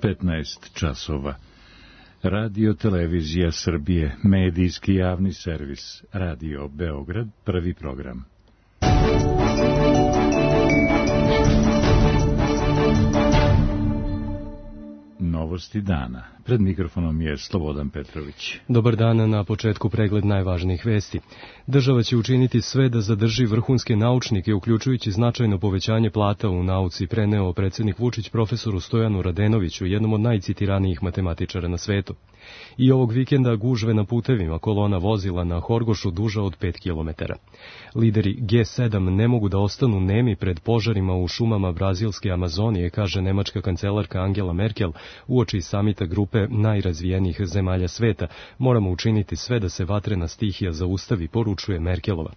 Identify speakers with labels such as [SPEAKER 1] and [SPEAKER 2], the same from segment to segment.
[SPEAKER 1] 15 časova. Radio Televizija Srbije, medijski javni servis, Radio Beograd, prvi program. Novosti dana. Pred mikrofonom je Slobodan Petrović.
[SPEAKER 2] Dobar dan, na početku pregled najvažnijih vesti. Država će učiniti sve da zadrži vrhunske naučnike, uključujući značajno povećanje plata u nauci, preneo predsjednik Vučić profesoru Stojanu Radenoviću, jednom od najcitiranijih matematičara na svetu. I ovog vikenda gužve na putevima, kolona vozila na Horgošu duža od 5 kilometara. Lideri G7 ne mogu da ostanu nemi pred požarima u šumama brazilske Amazonije, kaže nemačka kancelarka Angela Merkel, uoči samita grupe najrazvijenijih zemalja sveta. Moramo učiniti sve da se vatrena stihija zaustavi, poručuje Merkelova.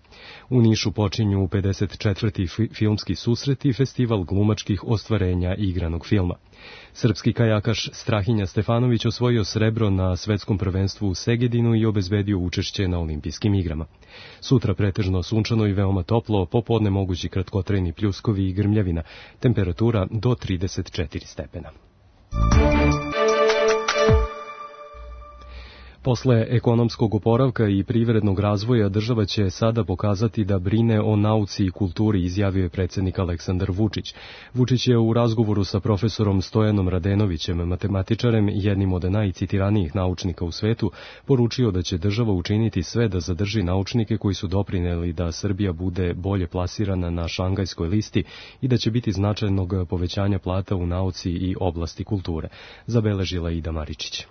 [SPEAKER 2] U Nišu počinju 54. filmski susreti, festival glumačkih ostvarenja igranog filma. Srpski kajakaš Strahinja Stefanović osvojio srebro na svetskom prvenstvu u Segedinu i obezbedio učešće na olimpijskim igrama. Sutra pretežno sunčano i veoma toplo, popodne mogući kratkotrajni pljuskovi i grmljavina, temperatura do 34 stepena. Posle ekonomskog oporavka i privrednog razvoja država će sada pokazati da brine o nauci i kulturi, izjavio je predsjednik Aleksandar Vučić. Vučić je u razgovoru sa profesorom Stojanom Radenovićem, matematičarem, jednim od najcitiranijih naučnika u svetu, poručio da će država učiniti sve da zadrži naučnike koji su doprineli da Srbija bude bolje plasirana na Šangajskoj listi i da će biti značajnog povećanja plata u nauci i oblasti kulture, zabeležila Ida Maričić.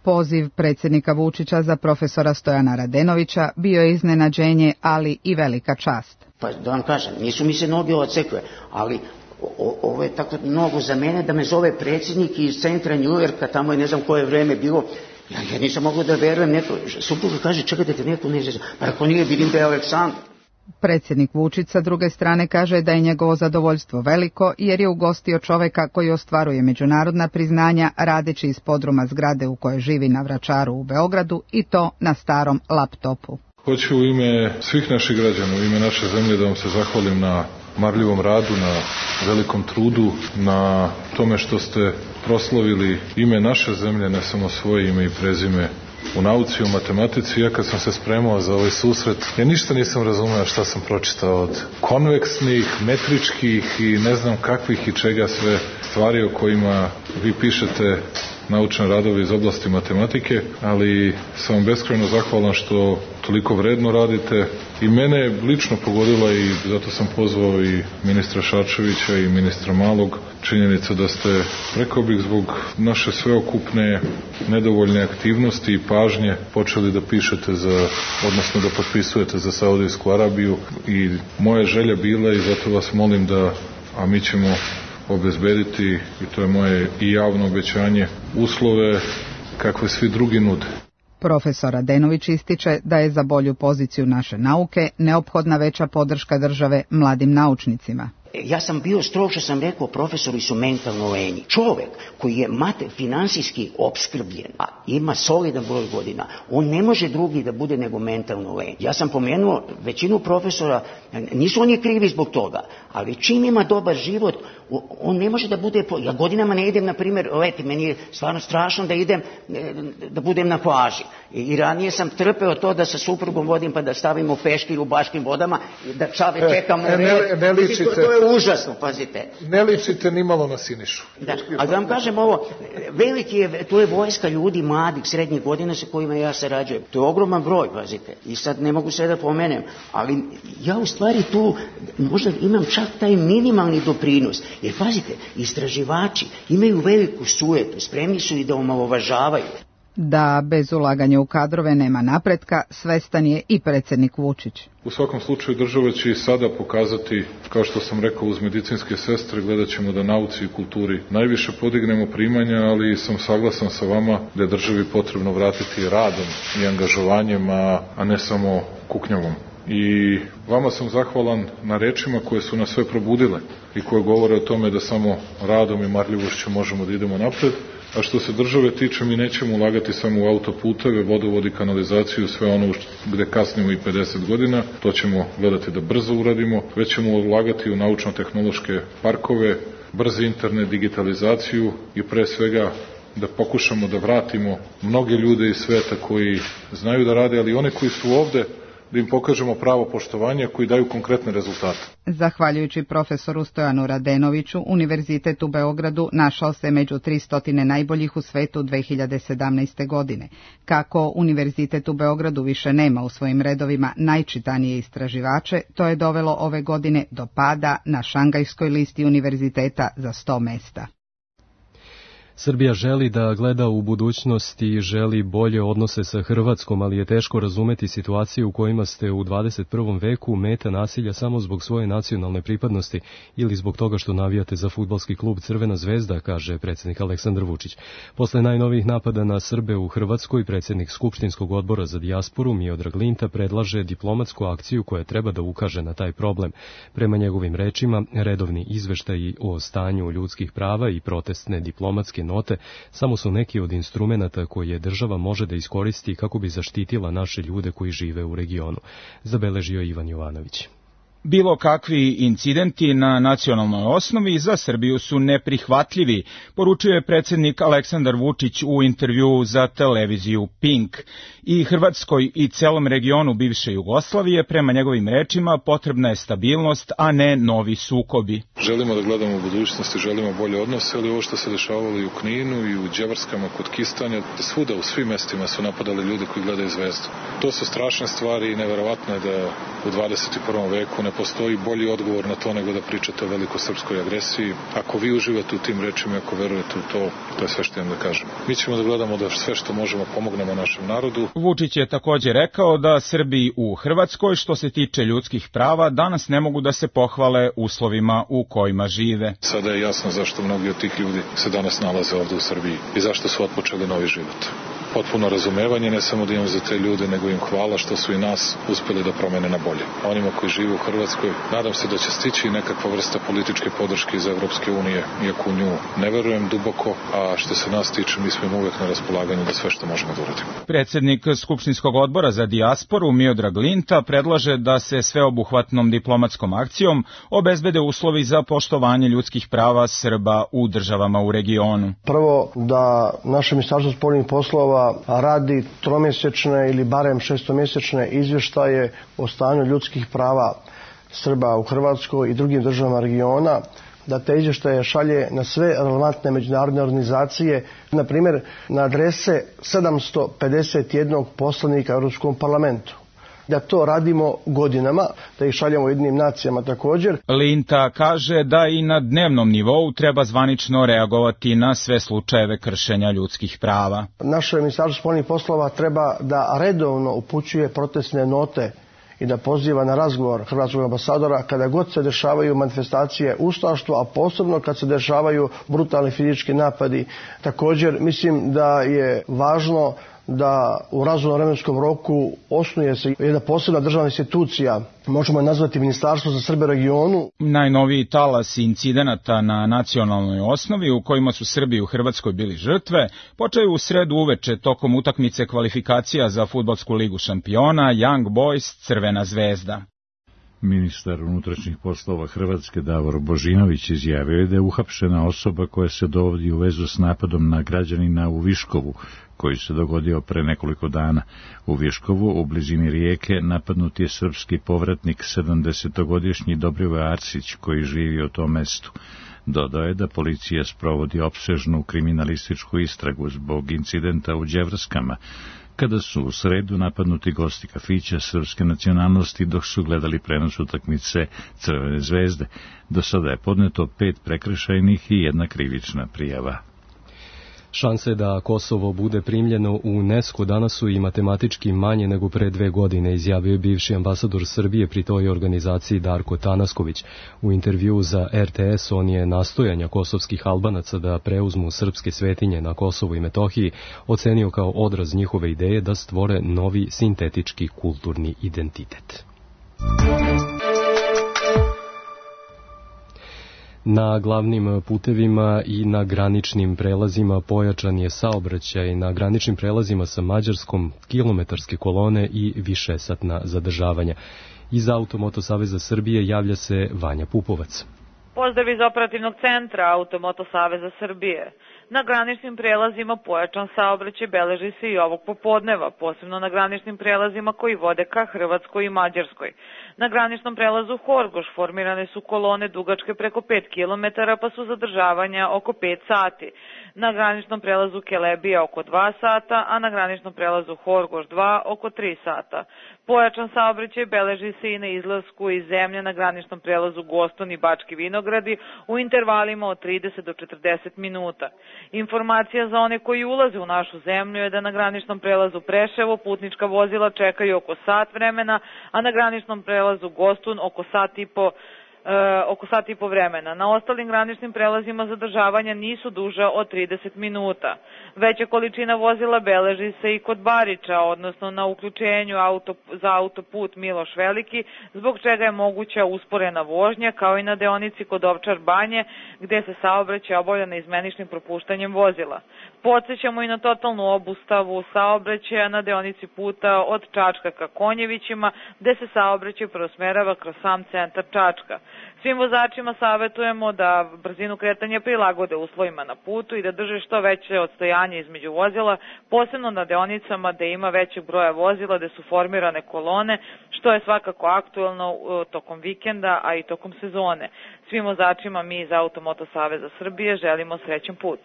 [SPEAKER 3] Poziv predsjednika Vučića za profesora Stojana Radenovića bio je iznenađenje, ali i velika čast.
[SPEAKER 4] Pa da vam kažem, nisu mi se noge odsekle, ali ovo je tako mnogo za mene da me zove predsjednik iz centra Njujorka, tamo je ne znam koje vreme bilo. Ja nisam mogao da verujem, neko, supruga kaže, čekajte te neko ne zna, pa ako nije, vidim da je Aleksandar.
[SPEAKER 3] Predsjednik Vučić sa druge strane kaže da je njegovo zadovoljstvo veliko jer je ugostio čoveka koji ostvaruje međunarodna priznanja radeći iz podruma zgrade u kojoj živi na Vračaru u Beogradu i to na starom laptopu.
[SPEAKER 5] Hoću u ime svih naših građana, u ime naše zemlje da vam se zahvalim na marljivom radu, na velikom trudu, na tome što ste proslavili ime naše zemlje, ne samo svoje ime i prezime u nauci, u matematici. Ja kad sam se spremao za ovaj susret, ja ništa nisam razumeo šta sam pročitao od konveksnih, metričkih i ne znam kakvih i čega sve stvari o kojima vi pišete naučne radove iz oblasti matematike, ali sam vam beskrajno zahvalan što toliko vredno radite i mene je lično pogodila i zato sam pozvao i ministra Šarčevića i ministra Malog. Činjenica da ste, rekao bih, zbog naše sveokupne nedovoljne aktivnosti i pažnje počeli da pišete odnosno da potpisujete za Saudijsku Arabiju i moja želja bila i zato vas molim da, a mi ćemo obezbediti, i to je moje i javno obećanje, uslove kakve svi drugi nude.
[SPEAKER 3] Profesor Radenović ističe da je za bolju poziciju naše nauke neophodna veća podrška države mladim naučnicima.
[SPEAKER 4] Ja sam bio strog što sam rekao, profesori su mentalno lenji. Čovek koji je finansijski opskrbljen, a ima solidan broj godina, on ne može drugi da bude nego mentalno lenj. Ja sam pomenuo većinu profesora, nisu oni krivi zbog toga, ali čim ima dobar život, on ne može da bude, ja godinama ne idem, na primjer, leti, meni je stvarno strašno da idem, da budem na plaži. I ranije sam trpeo to da sa suprugom vodim pa da stavimo peškir u Baškim vodama, da čave čekamo red. To je užasno, pazite.
[SPEAKER 5] Ne ličite ni malo na Sinišu.
[SPEAKER 4] Da, ali da vam kažem ovo, to je vojska ljudi mladih, srednjih godina sa kojima ja sarađujem. To je ogroman broj, pazite. I sad ne mogu sve da pomenem, ali ja u stvari tu možda imam čak taj minimalni doprinos. Jer pazite, istraživači imaju veliku sujetu, spremni su i da omalovažavaju.
[SPEAKER 3] Da bez ulaganja u kadrove nema napretka, svestan je i predsjednik Vučić.
[SPEAKER 5] U svakom slučaju država će i sada pokazati, kao što sam rekao, uz medicinske sestre gledat ćemo da nauci i kulturi najviše podignemo primanja, ali sam saglasan sa vama da je državi potrebno vratiti radom i angažovanjem, a ne samo kuknjavom. I vama sam zahvalan na rečima koje su nas sve probudile i koje govore o tome da samo radom i marljivošću možemo da idemo napred. A što se države tiče, mi nećemo ulagati samo u autoputeve, vodovod i kanalizaciju, sve ono gde kasnimo i 50 godina, to ćemo gledati da brzo uradimo, već ćemo ulagati u naučno-tehnološke parkove, brzi internet, digitalizaciju i pre svega da pokušamo da vratimo mnoge ljude iz sveta koji znaju da rade, ali one koji su ovde, da im pokažemo pravo poštovanje koji daju konkretne rezultate.
[SPEAKER 3] Zahvaljujući profesoru Stojanu Radenoviću, Univerzitet u Beogradu našao se među 300 najboljih u svetu 2017. godine. Kako Univerzitet u Beogradu više nema u svojim redovima najčitanije istraživače, to je dovelo ove godine do pada na šangajskoj listi univerziteta za 100 mesta.
[SPEAKER 2] Srbija želi da gleda u budućnost i želi bolje odnose sa Hrvatskom, ali je teško razumeti situaciju u kojima ste u 21. veku meta nasilja samo zbog svoje nacionalne pripadnosti ili zbog toga što navijate za fudbalski klub Crvena zvezda, kaže predsjednik Aleksandar Vučić. Posle najnovijih napada na Srbe u Hrvatskoj, predsjednik Skupštinskog odbora za dijasporu Miodrag Linta predlaže diplomatsku akciju koja treba da ukaže na taj problem. Prema njegovim rečima, redovni izveštaji o stanju ljudskih prava i protestne diplomatske note samo su neki od instrumenata koje država može da iskoristi kako bi zaštitila naše ljude koji žive u regionu, zabeležio Ivan Jovanović.
[SPEAKER 6] Bilo kakvi incidenti na nacionalnoj osnovi za Srbiju su neprihvatljivi, poručuje predsjednik Aleksandar Vučić u intervjuu za televiziju Pink. I Hrvatskoj i celom regionu bivše Jugoslavije, prema njegovim rečima, potrebna je stabilnost, a ne novi sukobi.
[SPEAKER 5] Želimo da gledamo u budućnosti, želimo bolje odnose, ali ovo što se dešavalo i u Kninu i u Đevarskama kod Kistanja, svuda u svim mestima su napadali ljudi koji gledaju Zvezdu. To su strašne stvari i neverovatno je da u 21. veku ne postoji bolji odgovor na to nego da pričate o velikosrpskoj agresiji. Ako vi uživate u tim rečima, ako verujete u to, to je sve što imam da kažem. Mi ćemo da gledamo da sve što možemo pomognemo našem narodu.
[SPEAKER 6] Vučić je također rekao da Srbi u Hrvatskoj, što se tiče ljudskih prava, danas ne mogu da se pohvale uslovima u kojima žive.
[SPEAKER 5] Sada je jasno zašto mnogi od tih ljudi se danas nalaze ovde u Srbiji i zašto su otpočeli novi život. Potpuno razumevanje, ne samo da imam za te ljude, nego im hvala što su i nas uspeli da promene na bolje. Onima koji žive u Hrvatskoj, nadam se da će stići nekakva vrsta političke podrške iz Evropske unije, iako u nju ne verujem duboko, a što se nas tiče, mi smo im uvek na raspolaganju da sve što možemo da uradimo.
[SPEAKER 6] Predsjednik Skupštinskog odbora za dijasporu Miodrag Linta predlaže da se sveobuhvatnom diplomatskom akcijom obezbede uslovi za poštovanje ljudskih prava Srba u državama u regionu.
[SPEAKER 7] Prvo, da naše Ministarstvo spoljnih poslova radi tromjesečne ili barem šestomjesečne izvještaje o stanju ljudskih prava Srba u Hrvatskoj i drugim državama regiona, da te izvještaje šalje na sve relevantne međunarodne organizacije, na primjer na adrese 751 poslanika u Europskom parlamentu. Da to radimo godinama, da ih šaljemo Ujedinjenim nacijama također.
[SPEAKER 6] Linta kaže da i na dnevnom nivou treba zvanično reagovati na sve slučajeve kršenja ljudskih prava.
[SPEAKER 7] Naše Ministarstvo spoljnih poslova treba da redovno upućuje protestne note i da poziva na razgovor hrvatskog ambasadora kada god se dešavaju manifestacije ustaštva, a posebno kad se dešavaju brutalni fizički napadi. Također mislim da je važno da u razumnom vremenskom roku osnuje se jedna posebna državna institucija, možemo je nazvati Ministarstvo za Srbe u regionu.
[SPEAKER 6] Najnoviji talas incidenata na nacionalnoj osnovi u kojima su Srbi u Hrvatskoj bili žrtve počeo u sredu uveče tokom utakmice kvalifikacija za fudbalsku ligu šampiona Young Boys Crvena zvezda.
[SPEAKER 1] Ministar unutrašnjih poslova Hrvatske Davor Božinović izjavio je da je uhapšena osoba koja se dovodi u vezu s napadom na građanina u Viškovu, koji se dogodio pre nekoliko dana. U Viškovu, u blizini rijeke, napadnut je srpski povratnik 70-godišnji Dobrivoje Arsić, koji živi u tom mestu. Dodao je da policija sprovodi opsežnu kriminalističku istragu zbog incidenta u Đevrskama, kada su u sredu napadnuti gosti kafića srpske nacionalnosti dok su gledali prenos utakmice Crvene zvezde. Do sada je podneto 5 prekršajnih i 1 krivična prijava.
[SPEAKER 2] Šanse da Kosovo bude primljeno u UNESCO danas su i matematički manje nego pre 2 godine, izjavio je bivši ambasador Srbije pri toj organizaciji Darko Tanasković. U intervjuu za RTS on je nastojanja kosovskih Albanaca da preuzmu srpske svetinje na Kosovu i Metohiji ocenio kao odraz njihove ideje da stvore novi sintetički kulturni identitet. Na glavnim putevima i na graničnim prelazima pojačan je saobraćaj, na graničnim prelazima sa Mađarskom kilometarske kolone i višesatna zadržavanja. Iz Automoto Saveza Srbije javlja se Vanja Pupovac.
[SPEAKER 8] Pozdrav iz operativnog centra Automoto Saveza Srbije. Na graničnim prelazima pojačan saobraćaj beleži se i ovog popodneva, posebno na graničnim prelazima koji vode ka Hrvatskoj i Mađarskoj. Na graničnom prelazu Horgoš formirane su kolone dugačke preko 5 km, pa su zadržavanja oko 5 sati. Na graničnom prelazu Kelebija oko 2 sata, a na graničnom prelazu Horgoš 2 oko 3 sata. Pojačan saobraćaj beleži se i na izlasku iz zemlje na graničnom prelazu Goston i Bački Vinogradi u intervalima od 30 do 40 minuta. Informacija za one koji ulaze u našu zemlju je da na graničnom prelazu Preševo putnička vozila čekaju oko sat vremena, a na graničnom prelazu Gostun oko sat i po vremena. Na ostalim graničnim prelazima zadržavanja nisu duža od 30 minuta. Veća količina vozila beleži se i kod Bariča, odnosno na uključenju za autoput Miloš Veliki, zbog čega je moguća usporena vožnja, kao i na deonici kod Ovčar Banje, gde se saobraćaj obavlja neizmeničnim propuštanjem vozila. Podsećamo i na totalnu obustavu saobraćaja na deonici puta od Čačka ka Konjevićima, gde se saobraćaj preusmerava kroz sam centar Čačka. Svim vozačima savetujemo da brzinu kretanja prilagode uslovima na putu i da drže što veće odstojanje između vozila, posebno na deonicama gde ima većeg broja vozila, gde su formirane kolone, što je svakako aktuelno tokom vikenda, a i tokom sezone. Svim vozačima mi iz Automoto Saveza Srbije želimo srećan put.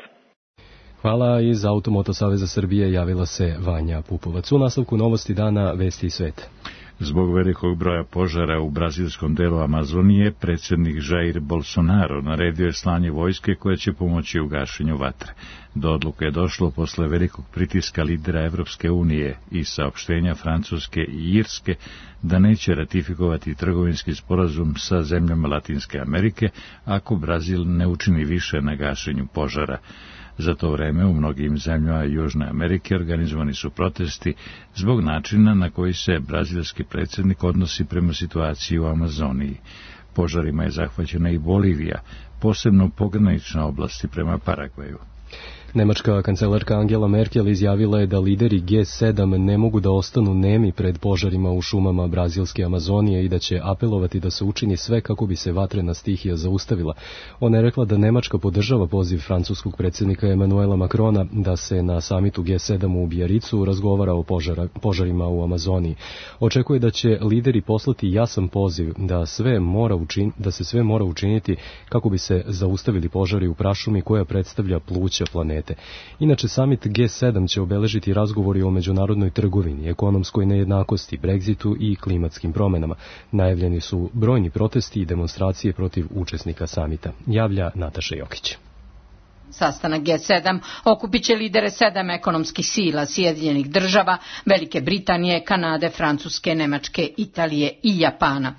[SPEAKER 2] Hvala. Iz Automoto Saveza Srbije javila se Vanja Pupovac. U nastavku novosti dana Vesti i svet.
[SPEAKER 1] Zbog velikog broja požara u brazilskom delu Amazonije, predsjednik Jair Bolsonaro naredio je slanje vojske koja će pomoći u gašenju vatre. Do odluke je došlo posle velikog pritiska lidera Evropske unije i saopštenja Francuske i Irske da neće ratifikovati trgovinski sporazum sa zemljama Latinske Amerike ako Brazil ne učini više na gašenju požara. Za to vreme u mnogim zemljama Južne Amerike organizovani su protesti zbog načina na koji se brazilski predsjednik odnosi prema situaciji u Amazoniji. Požarima je zahvaćena i Bolivija, posebno pogranične oblasti prema Paragvaju.
[SPEAKER 2] Nemačka kancelarka Angela Merkel izjavila je da lideri G7 ne mogu da ostanu nemi pred požarima u šumama brazilske Amazonije i da će apelovati da se učini sve kako bi se vatrena stihija zaustavila. Ona je rekla da Nemačka podržava poziv francuskog predsjednika Emanuela Macrona da se na samitu G7 u Bijaricu razgovara o požarima u Amazoniji. Očekuje da će lideri poslati jasan poziv da se sve mora učiniti kako bi se zaustavili požari u prašumi koja predstavlja pluća planete. Inače, samit G7 će obeležiti razgovori o međunarodnoj trgovini, ekonomskoj nejednakosti, Brexitu i klimatskim promenama. Najavljeni su brojni protesti i demonstracije protiv učesnika samita. Javlja Nataša Jokić.
[SPEAKER 9] Sastanak G7 okupit će lidere 7 ekonomskih sila Sjedinjenih država, Velike Britanije, Kanade, Francuske, Nemačke, Italije i Japana.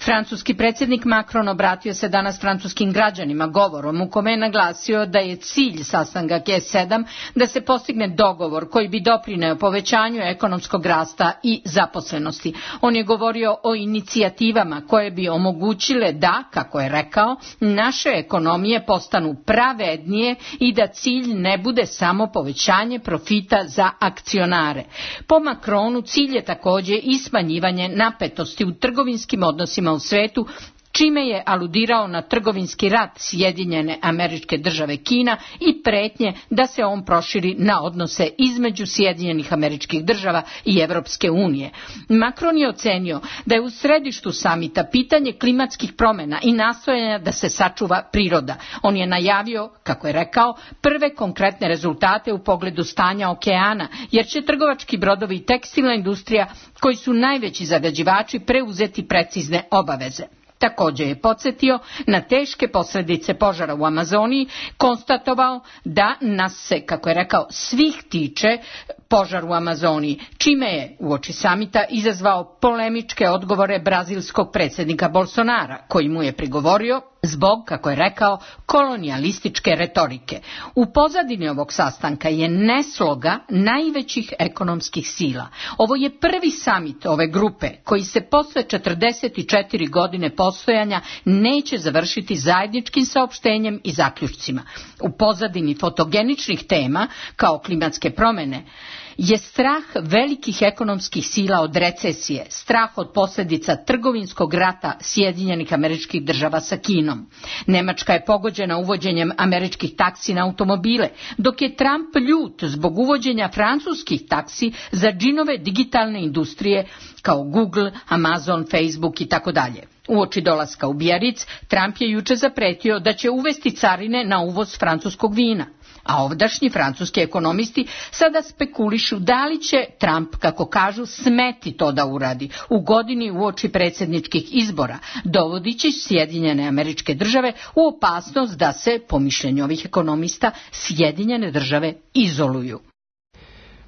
[SPEAKER 9] Francuski predsjednik Macron obratio se danas francuskim građanima govorom u kome je naglasio da je cilj sastanka G7 da se postigne dogovor koji bi doprineo povećanju ekonomskog rasta i zaposlenosti. On je govorio o inicijativama koje bi omogućile da, kako je rekao, naše ekonomije postanu pravednije i da cilj ne bude samo povećanje profita za akcionare. Po Macronu cilj je također i smanjivanje napetosti u trgovinskim odnosima u svetu, čime je aludirao na trgovinski rat Sjedinjene Američke Države Kina i pretnje da se on proširi na odnose između Sjedinjenih Američkih Država i Evropske unije. Macron je ocenio da je u središtu samita pitanje klimatskih promjena i nastojanja da se sačuva priroda. On je najavio, kako je rekao, prve konkretne rezultate u pogledu stanja okeana, jer će trgovački brodovi i tekstilna industrija, koji su najveći zagađivači, preuzeti precizne obaveze. Također je podsjetio na teške posljedice požara u Amazoniji, konstatovao da nas se, kako je rekao, svih tiče požar u Amazoniji, čime je uoči samita izazvao polemičke odgovore brazilskog predsjednika Bolsonara, koji mu je prigovorio zbog, kako je rekao, kolonijalističke retorike. U pozadini ovog sastanka je nesloga najvećih ekonomskih sila. Ovo je prvi samit ove grupe koji se posle 44 godine postojanja neće završiti zajedničkim saopštenjem i zaključcima. U pozadini fotogeničnih tema kao klimatske promjene je strah velikih ekonomskih sila od recesije, strah od posljedica trgovinskog rata Sjedinjenih Američkih Država sa Kinom. Nemačka je pogođena uvođenjem američkih taksi na automobile, dok je Trump ljut zbog uvođenja francuskih taksi za džinove digitalne industrije kao Google, Amazon, Facebook i tako dalje. Uoči dolaska u Biarritz, Trump je juče zapretio da će uvesti carine na uvoz francuskog vina. A ovdašnji francuski ekonomisti sada spekulišu da li će Trump, kako kažu, smeti to da uradi u godini uoči predsjedničkih izbora, dovodići Sjedinjene Američke Države u opasnost da se, po mišljenju ovih ekonomista, Sjedinjene Države izoluju.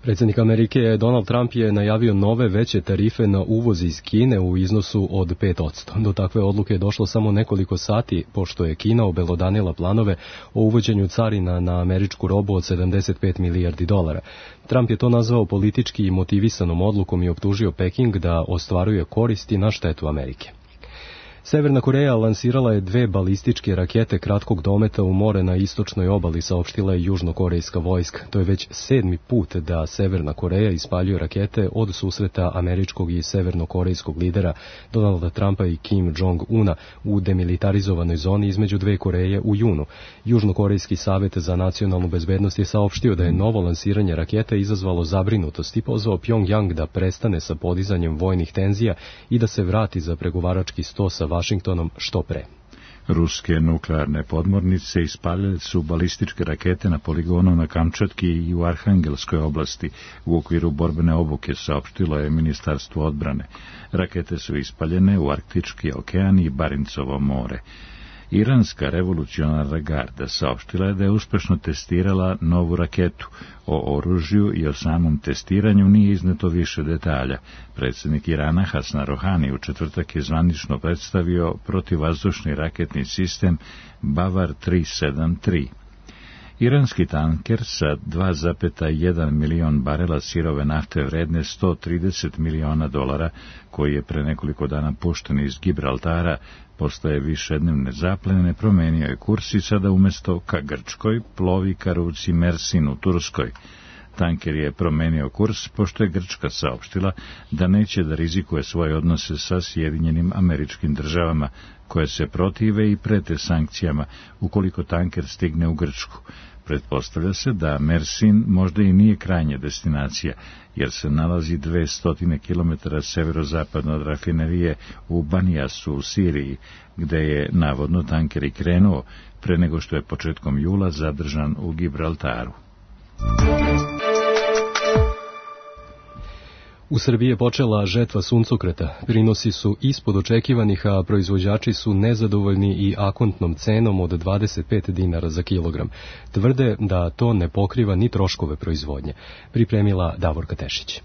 [SPEAKER 2] Predsjednik Amerike Donald Trump je najavio nove veće tarife na uvoz iz Kine u iznosu od 5%. Do takve odluke je došlo samo nekoliko sati pošto je Kina obelodanila planove o uvođenju carina na američku robu od 75 milijardi dolara. Trump je to nazvao politički motivisanom odlukom i optužio Peking da ostvaruje koristi na štetu Amerike. Severna Koreja lansirala je 2 balističke rakete kratkog dometa u more na istočnoj obali, saopštila je južnokorejska vojska. To je već 7. put da Severna Koreja ispaljuje rakete od susreta američkog i severnokorejskog lidera Donalda Trumpa i Kim Jong-una u demilitarizovanoj zoni između 2 Koreje u junu. Južnokorejski savjet za nacionalnu bezbednost je saopštio da je novo lansiranje raketa izazvalo zabrinutost i pozvao Pjongjang da prestane sa podizanjem vojnih tenzija i da se vrati za pregovarački sto sa Vašingtonom što pre.
[SPEAKER 1] Ruske nuklearne podmornice ispaljale su balističke rakete na poligonu na Kamčatki i u Arhangelskoj oblasti u okviru borbene obuke, saopštilo je Ministarstvo odbrane. Rakete su ispaljene u Arktički okean i Barincovo more. Iranska revolucionarna garda saopštila je da je uspešno testirala novu raketu. O oružju i o samom testiranju nije izneto više detalja. Predsjednik Irana Hasan Rohani u četvrtak je zvanično predstavio protivvazdušni raketni sistem Bavar 373. Iranski tanker sa 2,1 milion barela sirove nafte vredne $130 miliona, koji je pre nekoliko dana pušten iz Gibraltara, postaje višednevne zaplene, promenio je kurs i sada umjesto ka Grčkoj plovi ka ruci Mersin u Turskoj. Tanker je promenio kurs pošto je Grčka saopštila da neće da rizikuje svoje odnose sa Sjedinjenim Američkim Državama, koje se protive i prete sankcijama ukoliko tanker stigne u Grčku. Pretpostavlja se da Mersin možda i nije krajnja destinacija, jer se nalazi 200 km severozapadno od rafinerije u Banijasu u Siriji, gde je navodno tanker i krenuo pre nego što je početkom jula zadržan u Gibraltaru.
[SPEAKER 2] U Srbiji je počela žetva suncokreta. Prinosi su ispod očekivanih, a proizvođači su nezadovoljni i akontnom cenom od 25 dinara za kilogram. Tvrde da to ne pokriva ni troškove proizvodnje. Pripremila Davorka Tešić.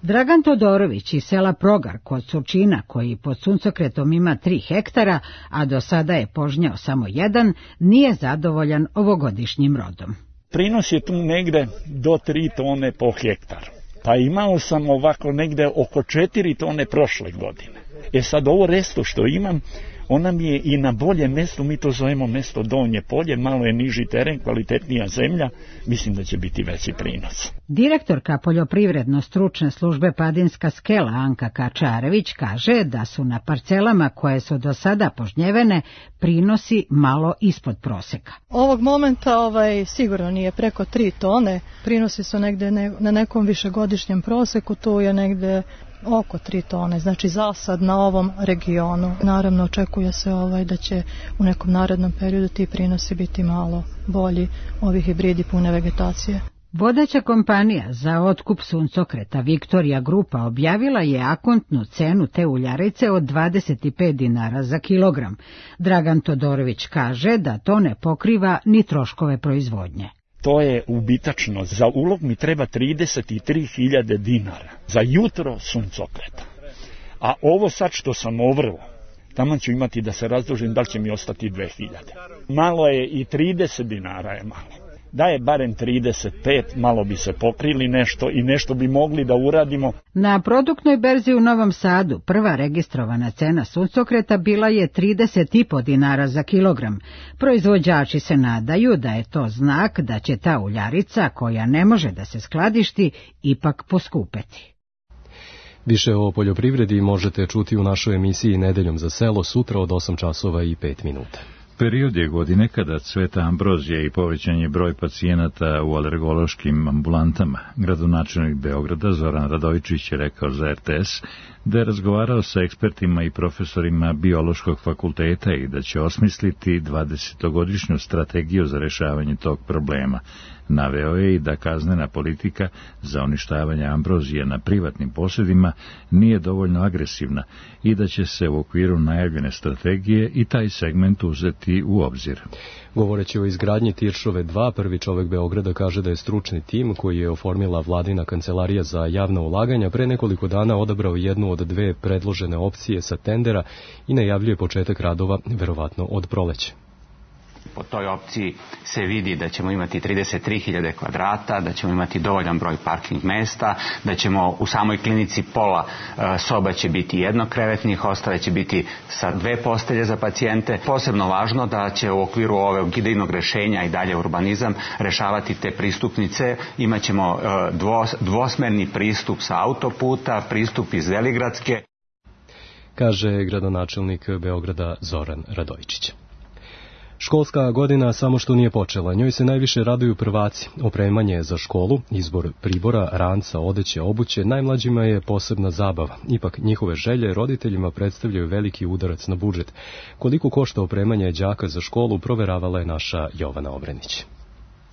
[SPEAKER 10] Dragan Todorović iz sela Progar kod Surčina, koji pod suncokretom ima 3 hektara, a do sada je požnjao samo 1, nije zadovoljan ovogodišnjim rodom.
[SPEAKER 11] Prinos je tu negde do 3 tone po hektaru. Pa imao sam ovako negde oko 4 tone prošle godine. Sad ovo resto što imam, ona mi je i na bolje mesto, mi to zovemo mesto Donje polje, malo je niži teren, kvalitetnija zemlja, mislim da će biti veći prinos.
[SPEAKER 10] Direktorka poljoprivredno-stručne službe Padinska skela Anka Kačarević kaže da su na parcelama koje su do sada požnjevene prinosi malo ispod proseka.
[SPEAKER 12] Ovog momenta sigurno nije preko 3 tone, prinosi su negde na nekom višegodišnjem proseku, tu je negde oko 3 tone, znači zasad na ovom regionu. Naravno očekuje se da će u nekom narednom periodu ti prinosi biti malo bolji, ovi hibridi pune vegetacije.
[SPEAKER 10] Vodeća kompanija za otkup suncokreta Viktorija Grupa objavila je akontnu cenu te uljarice od 25 dinara za kilogram. Dragan Todorović kaže da to ne pokriva ni troškove proizvodnje.
[SPEAKER 11] To je ubitačno. Za ulov mi treba 33.000 dinara. Za jutro suncokreta. A ovo sad što sam ovrlo, tamo ću imati da se razdužim, da li će mi ostati 2.000. Malo je i 30 dinara je malo. Da je barem 35, malo bi se pokrili nešto i nešto bi mogli da uradimo.
[SPEAKER 10] Na produktnoj berzi u Novom Sadu prva registrovana cena suncokreta bila je 30,5 dinara za kilogram. Proizvođači se nadaju da je to znak da će ta uljarica, koja ne može da se skladišti, ipak poskupeti.
[SPEAKER 2] Više o poljoprivredi možete čuti u našoj emisiji Nedeljom za selo sutra od 8 časova i 5 minuta.
[SPEAKER 1] Period je godine kada cveta ambrozija i povećan je broj pacijenata u alergološkim ambulantama. Gradonačelnik Beograda Zoran Radojičić je rekao za RTS da je razgovarao sa ekspertima i profesorima biološkog fakulteta i da će osmisliti 20-godišnju strategiju za rešavanje tog problema. Naveo je i da kaznena politika za uništavanje ambrozije na privatnim posjedima nije dovoljno agresivna i da će se u okviru najavljene strategije i taj segment uzeti u obzir.
[SPEAKER 2] Govoreći o izgradnji Tiršove 2, prvi čovek Beograda kaže da je stručni tim koji je oformila vladina kancelarija za javna ulaganja pre nekoliko dana odabrao jednu od dve predložene opcije sa tendera i najavljuje početak radova verovatno od proleća.
[SPEAKER 13] Po toj opciji se vidi da ćemo imati 33.000 kvadrata, da ćemo imati dovoljan broj parking mesta, da ćemo u samoj klinici pola soba će biti jednokrevetnih, ostale će biti sa 2 postelje za pacijente. Posebno važno da će u okviru ovog idejnog rešenja i dalje urbanizam rešavati te pristupnice. Imaćemo dvosmerni pristup sa autoputa, pristup iz Veligradske.
[SPEAKER 2] Kaže gradonačelnik Beograda Zoran Radojičić. Školska godina samo što nije počela, njoj se najviše raduju prvaci. Opremanje za školu, izbor pribora, ranca, odeće, obuće, najmlađima je posebna zabava. Ipak njihove želje roditeljima predstavljaju veliki udarac na budžet. Koliko košta opremanje đaka za školu, proveravala je naša Jovana Obrenić.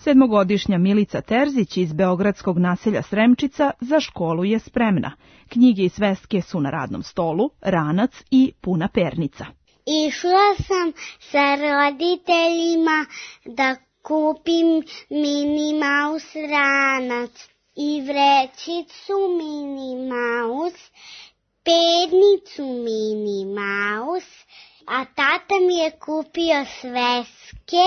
[SPEAKER 14] 7-godišnja Milica Terzić iz beogradskog naselja Sremčica za školu je spremna. Knjige i sveske su na radnom stolu, ranac i puna pernica.
[SPEAKER 15] Išla sam sa roditeljima da kupim Mini Mouse ranac i vrećicu Mini Mouse, pernicu Mini Mouse, a tata mi je kupio sveske,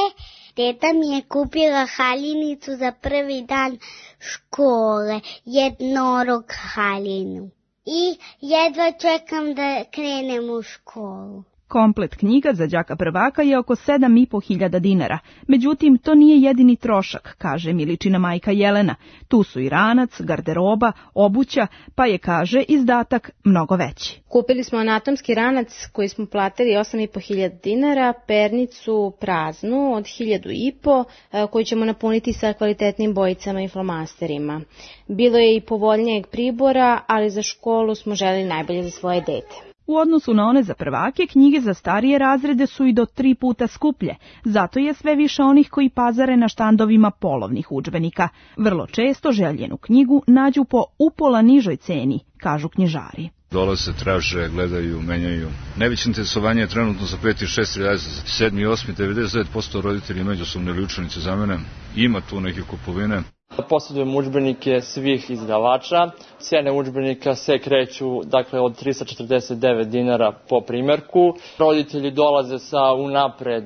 [SPEAKER 15] teta mi je kupila haljinicu za prvi dan škole, jednorog haljinu. I jedva čekam da krenem u školu.
[SPEAKER 14] Komplet knjiga za đaka prvaka je oko 7.500 dinara. Međutim, to nije jedini trošak, kaže Miličina majka Jelena. Tu su i ranac, garderoba, obuća, pa je, kaže, izdatak mnogo veći.
[SPEAKER 16] Kupili smo anatomski ranac koji smo platili 8.500 dinara, pernicu praznu od 1.500 koju ćemo napuniti sa kvalitetnim bojicama i flomasterima. Bilo je i povoljnijeg pribora, ali za školu smo želeli najbolje za svoje dete.
[SPEAKER 14] U odnosu na one za prvake, knjige za starije razrede su i do 3 puta skuplje, zato je sve više onih koji pazare na štandovima polovnih udžbenika. Vrlo često željenu knjigu nađu po upola nižoj ceni, kažu knjižari.
[SPEAKER 17] Dolaze, traže, gledaju, menjaju. Najveće interesovanje je trenutno za 5. i 6. razred, 7. i 8. 99% roditelji međusobne ili učenice za mene. Ima tu neke kupovine.
[SPEAKER 18] Posjedujem udžbenike svih izdavača. Cijene udžbenika se kreću od 349 dinara po primjerku. Roditelji dolaze sa unapred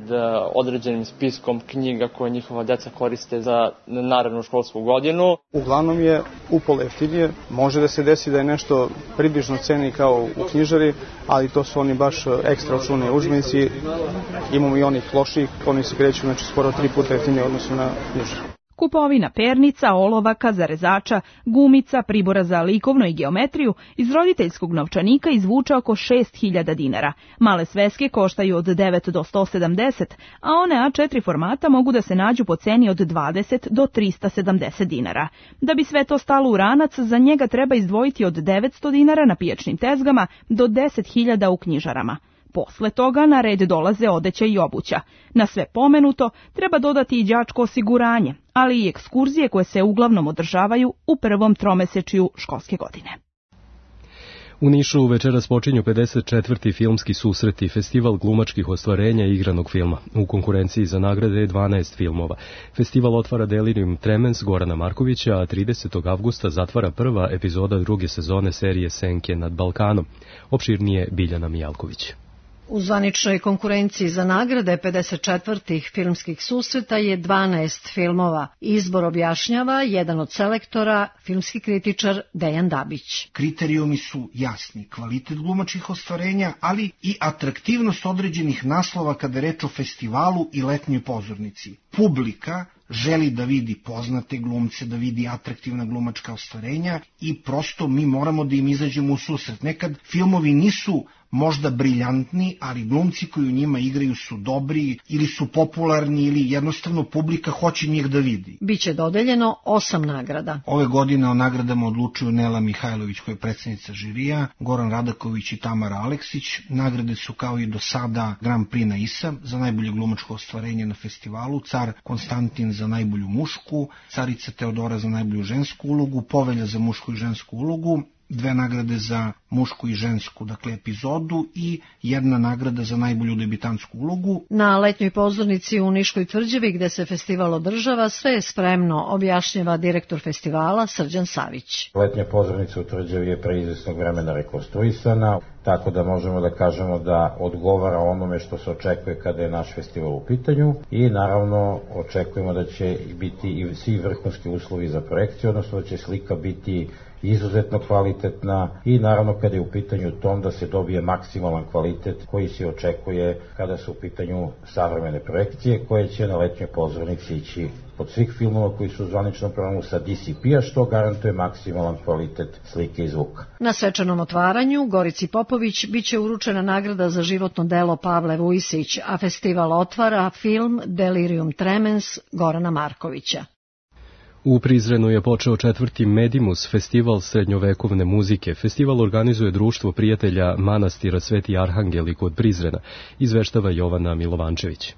[SPEAKER 18] određenim spiskom knjiga koje njihova deca koriste za narednu školsku godinu.
[SPEAKER 19] Uglavnom je upola jeftinije. Može da se desi da je nešto približno ceni kao u knjižari, ali to su oni baš ekstra očuvani udžbenici. Imamo i onih loših, oni se kreću skoro 3 puta jeftinije odnosno na knjižaru.
[SPEAKER 14] Kupovina pernica, olovaka, zarezača, gumica, pribora za likovnu i geometriju iz roditeljskog novčanika izvuče oko 6.000 dinara. Male sveske koštaju od 9 do 170, a one A4 formata mogu da se nađu po ceni od 20 do 370 dinara. Da bi sve to stalo u ranac, za njega treba izdvojiti od 900 dinara na pijačnim tezgama do 10.000 u knjižarama. Posle toga na red dolaze odeća i obuća. Na sve pomenuto treba dodati i đačko osiguranje, ali i ekskurzije koje se uglavnom održavaju u prvom tromesečju školske godine.
[SPEAKER 2] U Nišu večeras počinju 54. filmski susreti, festival glumačkih ostvarenja i igranog filma. U konkurenciji za nagrade je 12 filmova. Festival otvara Delirium Tremens Gorana Markovića, a 30. avgusta zatvara prva epizoda druge sezone serije Senke nad Balkanom. Opširnije Biljana Mijalković.
[SPEAKER 20] U zvaničnoj konkurenciji za nagrade 54. filmskih susreta je 12 filmova. Izbor objašnjava jedan od selektora, filmski kritičar Dejan Dabić.
[SPEAKER 21] Kriterijumi su jasni, kvalitet glumačkih ostvarenja, ali i atraktivnost određenih naslova kada je reč o festivalu i letnjoj pozornici. Publika želi da vidi poznate glumce, da vidi atraktivna glumačka ostvarenja i prosto mi moramo da im izađemo u susret. Nekad filmovi nisu možda briljantni, ali glumci koji u njima igraju su dobri ili su popularni ili jednostavno publika hoće njih da vidi.
[SPEAKER 20] Biće dodeljeno 8 nagrada.
[SPEAKER 21] Ove godine o nagradama odlučuju Nela Mihajlović koja je predsjednica žirija, Goran Radaković i Tamara Aleksić. Nagrade su kao i do sada Grand Prix na ISA za najbolje glumačko ostvarenje na festivalu, Car Konstantin za najbolju mušku, Carica Teodora za najbolju žensku ulogu, Povelja za mušku i žensku ulogu, 2 nagrade za mušku i žensku, dakle epizodu i 1 nagrada za najbolju debitantsku ulogu.
[SPEAKER 20] Na letnjoj pozornici u Niškoj tvrđavi gde se festival održava sve je spremno, objašnjava direktor festivala Srđan Savić.
[SPEAKER 22] Letnja pozornica u tvrđavi je pre izvesnog vremena rekonstruisana, tako da možemo da kažemo da odgovara onome što se očekuje kada je naš festival u pitanju i naravno očekujemo da će biti i svi vrhunski uslovi za projekciju, odnosno da će slika biti izuzetno kvalitetna i naravno kada je u pitanju tom da se dobije maksimalan kvalitet koji se očekuje kada su u pitanju savremene projekcije koje će na letnjoj pozornici ići od svih filmova koji su u zvaničnom programu sa DCP-a, što garantuje maksimalan kvalitet slike i zvuka.
[SPEAKER 20] Na svečanom otvaranju Gorici Popović biće uručena nagrada za životno delo Pavle Vujsić, a festival otvara film Delirium Tremens Gorana Markovića.
[SPEAKER 2] U Prizrenu je počeo 4. Medimus, festival srednjovekovne muzike. Festival organizuje Društvo prijatelja manastira Sveti Arhangeli kod Prizrena, izveštava Jovana Milovančević.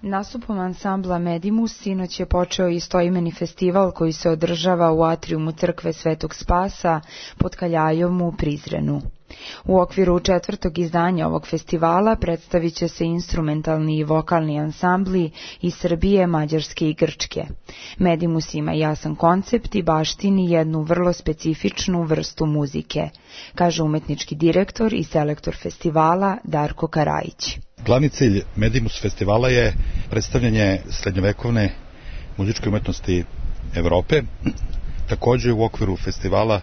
[SPEAKER 23] Nastupom ansambla Medimus sinoć je počeo istoimeni festival koji se održava u atrijumu crkve Svetog Spasa pod Kaljajom u Prizrenu. U okviru 4. izdanja ovog festivala predstavit će se instrumentalni i vokalni ansambli iz Srbije, Mađarske i Grčke. Medimus ima jasan koncept i baštini jednu vrlo specifičnu vrstu muzike, kaže umetnički direktor i selektor festivala Darko Karajić.
[SPEAKER 24] Glavni cilj Medimus festivala je predstavljanje srednjovekovne muzičke umetnosti Evrope. Također u okviru festivala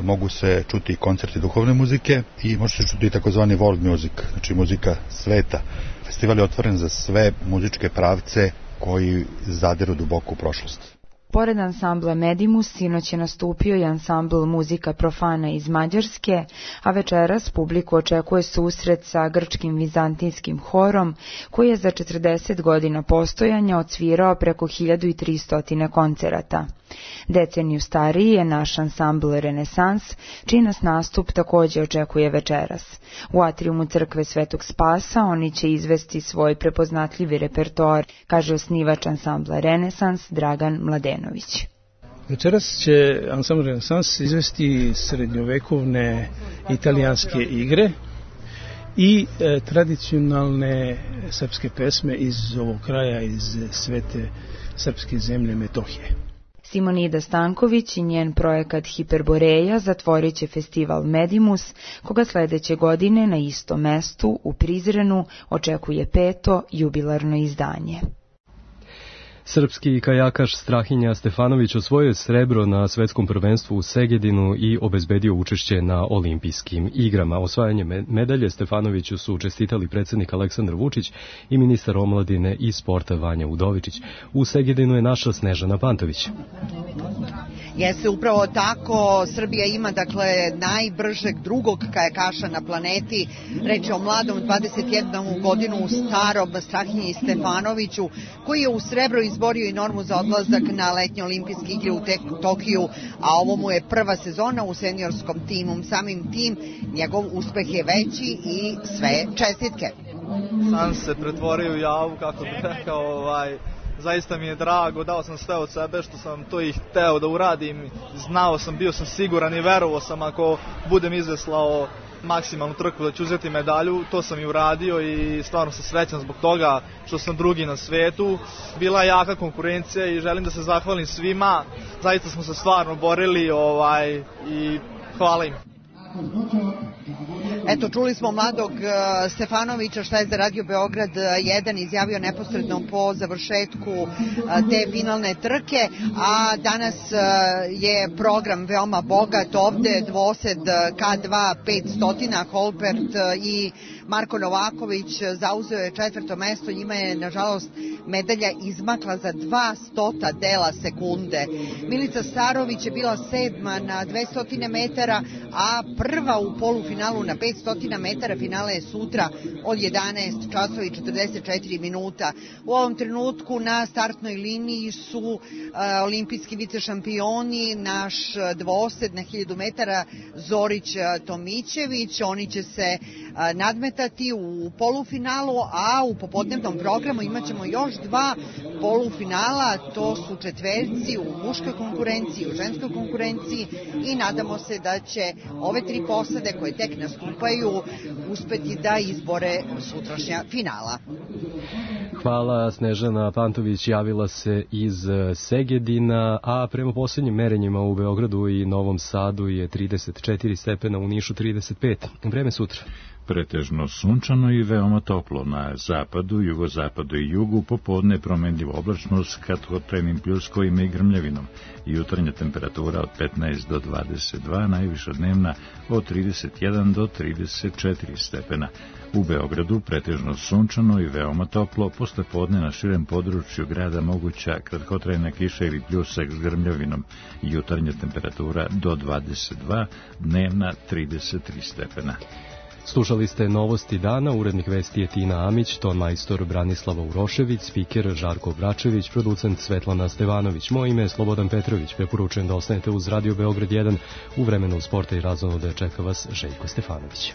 [SPEAKER 24] mogu se čuti koncerti duhovne muzike i može se čuti takozvani world music, znači muzika sveta. Festival je otvoren za sve muzičke pravce koji zadiru duboko u prošlost.
[SPEAKER 23] Pored ansambla Medimus, sinoć je nastupio i ansambl Muzika Profana iz Mađarske, a večeras publiku očekuje susret sa grčkim vizantinskim horom, koji je za 40 godina postojanja odsvirao preko 1300 koncerata. Deceniju stariji je naš ansambl Renesans, čiji nas nastup također očekuje večeras. U atrijumu crkve Svetog Spasa oni će izvesti svoj prepoznatljivi repertoar, kaže osnivač ansambla Renesans Dragan Mladenović.
[SPEAKER 25] Večeras će ansambl Renesans izvesti srednjovekovne italijanske igre i tradicionalne srpske pesme iz ovog kraja, iz svete srpske zemlje Metohije.
[SPEAKER 23] Simonida Stanković i njen projekat Hiperboreja zatvorit će festival Medimus, koga sledeće godine na istom mestu u Prizrenu očekuje 5. jubilarno izdanje.
[SPEAKER 2] Srpski kajakaš Strahinja Stefanović osvojio srebro na svetskom prvenstvu u Segedinu i obezbedio učešće na olimpijskim igrama. Osvajanje medalje Stefanoviću su čestitali predsjednik Aleksandar Vučić i ministar omladine i sporta Vanja Udovičić. U Segedinu je naša Snežana Pantović.
[SPEAKER 26] Jeste upravo tako, Srbija ima dakle najbržeg drugog kajakaša na planeti, reč je o mladom 21 godinu starom Strahinji Stefanoviću, koji je u srebro izborio i normu za odlazak na letnje olimpijske igre u Tokiju, a ovo mu je prva sezona u seniorskom timu. Samim tim njegov uspeh je veći i sve čestitke.
[SPEAKER 27] Sam se pretvorio u javu, kako bih rekao, zaista mi je drago, dao sam sve od sebe što sam to i hteo da uradim, znao sam, bio sam siguran i verovao sam ako budem izveslao maksimalnu trku da ću uzeti medalju, to sam i uradio i stvarno sam srećan zbog toga što sam drugi na svetu. Bila je jaka konkurencija i želim da se zahvalim svima, zaista smo se stvarno borili i hvala im.
[SPEAKER 26] Eto, čuli smo mladog Stefanovića šta je za Radio Beograd 1 izjavio neposredno po završetku te finalne trke, a danas je program veoma bogat ovde, dvosed K2 500, Holpert i Marko Novaković zauzeo je 4. mesto, njima je nažalost medalja izmakla za 200 dela sekunde. Milica Starović je bila 7. na 200 metara, a prva u polufinalu na 500 metara. Finale je sutra od 11 časova i 44 minuta. U ovom trenutku na startnoj liniji su olimpijski vicešampioni, naš dvosed na 1000 metara Zorić Tomićević. Oni će se nadmetati u polufinalu, a u popodnevnom programu imat ćemo još 2 polufinala, to su četverci u muškoj konkurenciji, u ženskoj konkurenciji i nadamo se da će ove 3 posade koje tek nastupaju uspeti da izbore sutrašnja finala.
[SPEAKER 2] Hvala. Snežana Pantović javila se iz Segedina, a prema posljednjim merenjima u Beogradu i Novom Sadu je 34 stepena, u Nišu 35. Vreme sutra.
[SPEAKER 1] Pretežno sunčano i veoma toplo na zapadu, jugozapadu i jugu, popodne promenljiva oblačnost kratkotrajnim pljuskovima i grmljavinom. Jutarnja temperatura od 15 do 22, najviša dnevna od 31 do 34 stepena. U Beogradu pretežno sunčano i veoma toplo, posle podne na širem području grada moguća kratkotrajna kiša ili pljusak s grmljavinom. Jutarnja temperatura do 22, dnevna 33 stepena.
[SPEAKER 2] Slušali ste novosti dana, urednik vesti je Tina Amić, ton majstor Branislava Urošević, spiker Žarko Bračević, producent Svetlana Stevanović. Moje ime je Slobodan Petrović, preporučujem da ostanete uz Radio Beograd 1, u vremenu sporta i razonode čeka vas Željko Stefanović.